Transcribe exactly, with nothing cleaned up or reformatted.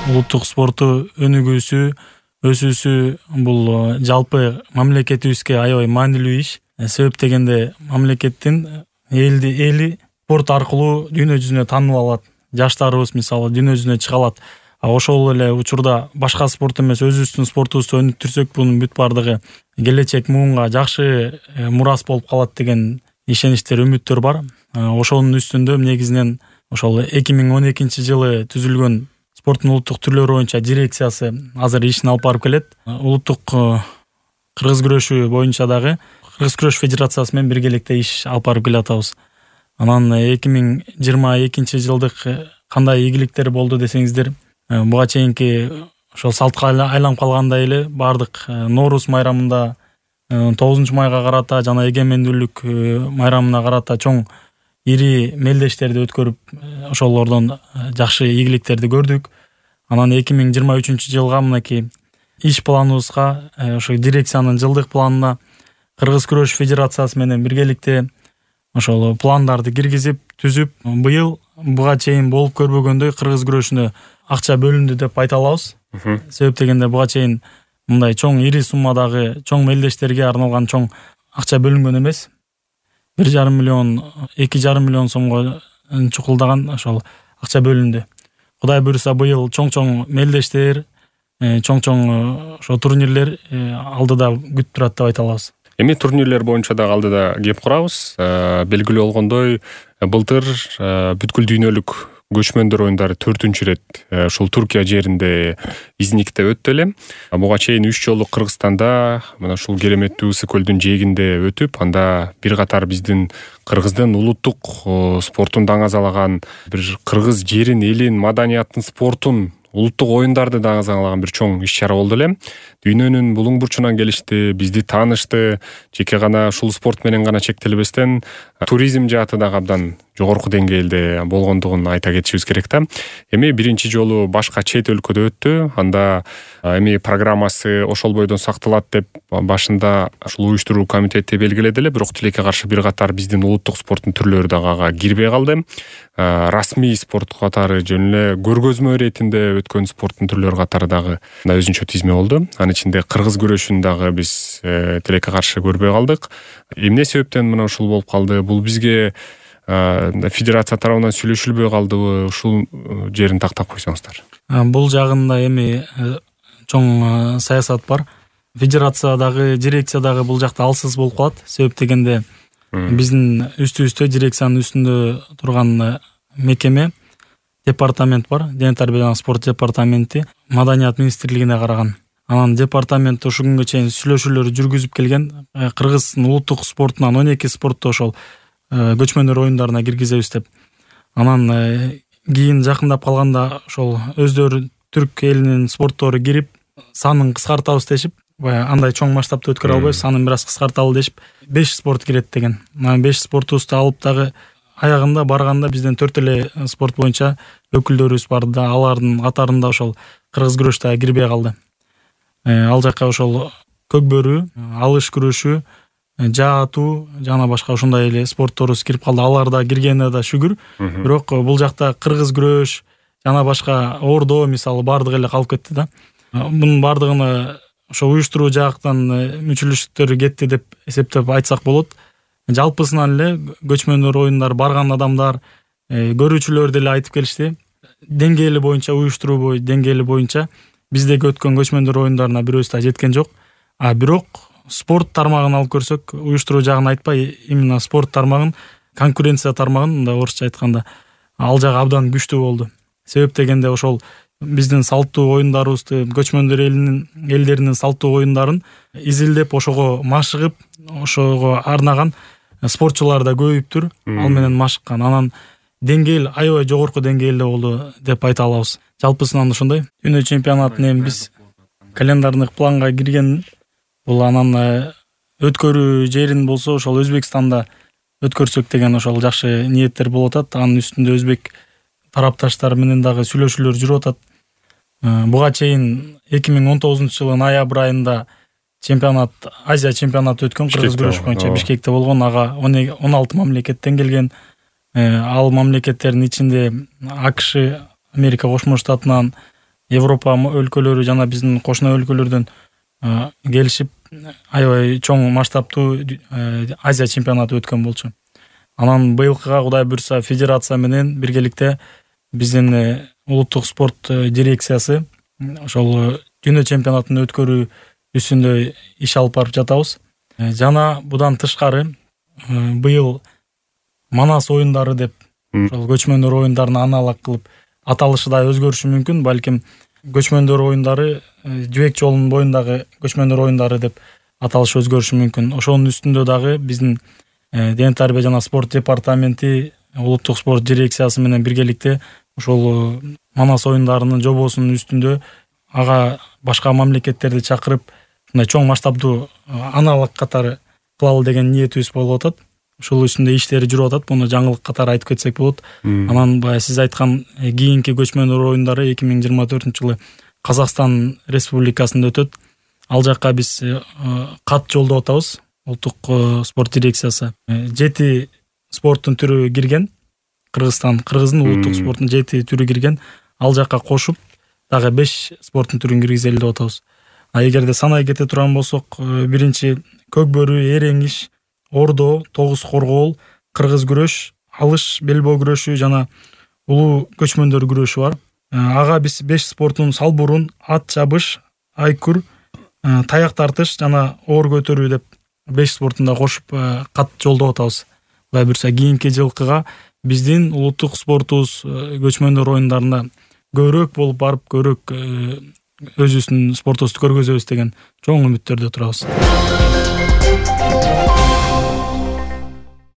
улуттук спортту өнүгүүсү, өсүүсү бул жалпы мамлекетибизге аябай маанилүү иш. Себеп дегенде мамлекеттин элди эли спорт аркылуу дүйнө жүзүнө таанып алат. Жаштарыбыз мисалы дүйнө жүзүнө чыга алат. Ошол эле учурда башка спорт эмес өзүбүздүн спортубузду өнүктүрсөк, бунун бүт бардыгы келечек муунга жакшы мурас болуп калат деген ишеничтер, үмүттөр бар. Ошонун үстүндө негизинен ошол эки миң он экинчи жылы түзүлгөн спорттун улуттук түрлөрү боюнча дирекциясы азыр ишин алып барып келет. Улуттук кыргыз күрөшү боюнча дагы Кыргыз күрөш федерациясы менен биргеликте иш алып барып келатабыз. Анан эки миң жыйырма экинчи жылдык кандай ийгиликтер болду десеңиздер, буга чейинки ошол салтка айланып калгандай эле бардык Нооруз майрамында тогузунчу майга карата жана эгемендүүлүк майрамына карата чоң ири мелдештерди өткөрүп, ошолордон жакшы ийгиликтерди көрдүк. Анан эки миң жыйырма үчүнчү жылга мынакей иш планыбызга, ошо дирекциянын жылдык планына Кыргыз күрөш федерациясы менен биргеликте ошол пландарды киргизип, түзүп, быйыл буга чейин болуп көрбөгөндөй кыргыз күрөшүнө акча бөлүндү деп айта алабыз. Себеп дегенде буга чейин мындай чоң ири суммадагы чоң мелдештерге арналган чоң акча бөлүнгөн эмес. бир жарым миллион, эки жарым миллион сомго чукулдаган ошол акча бөлүндү. Кудай буйруса быйыл чоң-чоң мелдештер, чоң-чоң ошо турнирлер алдыда күтүп турат деп айта алабыз. Эми турнирлер боюнча дагы алдыда кеп курабыз. Белгилүү болгондой, былтыр бүткүл дүйнөлүк көчмөндөр оюндары төртүнчү ирет ушул Туркия жеринде Изникте өттү эле. Буга чейин үч жолу Кыргызстанда, мына ушул кереметтүү Ысык көлдүн жээгинде өтүп, анда бир катар биздин Кыргыздын улуттук спортун даңазалаган, бир Кыргыз жерин, элин, маданияттын, спортун, улуттук оюндарды даңазалаган бир чоң иш-чара болду эле. Дүйнөнүн булуң бурчунан келишти, бизди таанышты. Жеке гана ушул спорт менен гана чектелбестен, туризм жааты дагы абдан жогорку деңгээлде болгондугун айта кетишибиз керек да. Эми биринчи жолу башка чет өлкөдө өттү. Анда эми программасы ошол бойдон сакталат деп башында ушул уюштуруу комитети белгиледи эле, бирок тилекке каршы бир катар биздин улуттук спорттун түрлөрү дагы ага кирбей калды. Расмий спорт катары жөн эле көргөзмө иретинде өткөн спорттун түрлөрү катары дагы өзүнчө тизме болду. Анын ичинде кыргыз күрөшүн дагы биз тилекке каршы көрбөй калдык. Эмне себептен мына ушул болуп калды? Бул бизге федерация тарабынан сүйлөшүлбөй калдыбы? Ушул жерин тактап койсоңуздар. Бул жагында эми чоң саясат бар. Федерация дагы, дирекция дагы бул жакта алсыз болуп калат. Себеп дегенде биздин үстүбүздө, дирекциянын үстүндө турган мекеме, департамент бар. Дене тарбия жана спорт департаменти Маданият министрлигине караган. Анан департамент ушул күнгө чейин сүйлөшүүлөр жүргүзүп келген. Кыргыздын улуттук спортунан он эки спортту ошол көчмөндөр оюндарына киргизебиз деп. Анан кийин жакындап калганда ошол өздөрү түрк элинин спорттору кирип, санын кыскартабыз дешип, андай чоң масштабта өткөрө албайбыз, санын бир аз кыскарталы дешип, беш спорт кирет деген. Анан беш спортубузду алып дагы аягында барганда бизден төрт эле спорт боюнча өкүлдөрүбүз бар да, алардын катарында ошол кыргыз күрөш дагы кирбей калды. Ал жакка ошол көкбөрү, алыш күрөшү, жаатуу жана башка ушундай эле спортторубуз кирип калды. Алар да киргенине да шүгүр. Бирок бул жакта кыргыз күрөш жана башка ордо мисалы бардыгы эле калып кетти да. Бунун бардыгына ошо уюштуруу жактан мүчөлүштөр кетти деп эсептеп айтсак болот. Жалпысынан эле көчмөндөр оюндар барган адамдар, көрүүчүлөр деле айтып келишти. Деңгээли боюнча, уюштуруу бою деңгээли боюнча биздеги өткөн көчмөндөр оюндарына бирөөсү да жеткен жок. А бирок спорт тармагын алып көрсөк, уюштуруу жагын айтпай, именно спорт тармагын, конкуренция тармагын, мындай орусча айтканда, ал жагы абдан күчтүү болду. Себеп дегенде ошол биздин салттуу оюндарыбызды, көчмөндөр элинин элдеринин салттуу оюндарын изилдеп, ошого машыгып, ошого арнаган спортчулар да көбөйүптүр. Ал менен машыккан. Анан деңгээл аябай жогорку деңгээлде болду деп айта алабыз. Жалпысынан ушундай. Дүйнө чемпионатын эми биз календардык планга кирген. Бул анан өткөрүү жерин болсо ошол Өзбекстанда өткөрсөк деген ошол жакшы ниеттер болуп атат. Анын үстүндө өзбек тарапташтар менен дагы сүйлөшүүлөр жүрүп атат. Буга чейин эки миң он тогузунчу жылдын ноябрь айында чемпионат, Азия чемпионаты өткөн кыргыз күрөш боюнча Бишкекте болгон. Ага он алты мамлекеттен келген. Ал мамлекеттердин ичинде АКШ, Америка Кошмо Штатынан, Европа өлкөлөрү жана биздин кошуна өлкөлөрдөн келишип аябай чоң масштабтуу Азия чемпионаты өткөн болчу. Анан быйылкыга Кудай буйрса федерация менен биргеликте биздин улуттук спорт дирекциясы ошол дүйнө чемпионатын өткөрүү үстүндө иш алып барып жатабыз. Жана будан тышкары быйыл Манас оюндары деп ошол көчмөндөр оюндарын аналог кылып аталышы да өзгөрүшү мүмкүн. Балким көчмөндөр оюндары жибек жолунун боюндагы көчмөндөр оюндары деп аталышы өзгөрүшү мүмкүн. Ошонун үстүндө дагы биздин дене тарбия жана спорт департаменти улуттук спорт дирекциясы менен биргеликте ошол Манас оюндарынын жобосунун үстүндө ага башка мамлекеттерди чакырып ушундай чоң масштабдуу аналог катары кылалы деген ниетибиз болуп атат. Ушул үстүндө иштери жүрүп атат. Муну жаңылык катары айтып кетсек болот. Анан баягы сиз айткан кийинки көчмөндөр оюндары эки миң жыйырма төртүнчү жылы Казакстан Республикасында өтөт. Ал жакка биз кат жолдоп атабыз. Улуттук спорт дирекциясы жети спорттун түрү кирген. Кыргызстан кыргыздын улуттук спортунун жети түрү кирген. Ал жакка кошуп дагы беш спорттун түрүн киргизели деп атабыз. А эгерде санай кете турган болсок, биринчи көк бөрү, эреңиш, ордо, тогуз коргоол, кыргыз күрөш, алыш, белбоо күрөшү жана улуу көчмөндөр күрөшү бар. Ага биз беш спорттун салбурун, ат чабыш, айкүр, таяк тартыш жана оор көтөрүү деп беш спортун да кошуп кат жолдоп атабыз. Кудай буйрса кийинки жылкыга биздин улуттук спортубуз көчмөндөр оюндарында көбүрөөк болуп барып, көбүрөөк өзүбүздүн спортубузду көргөзөбүз деген чоң үмүттөрдө турабыз.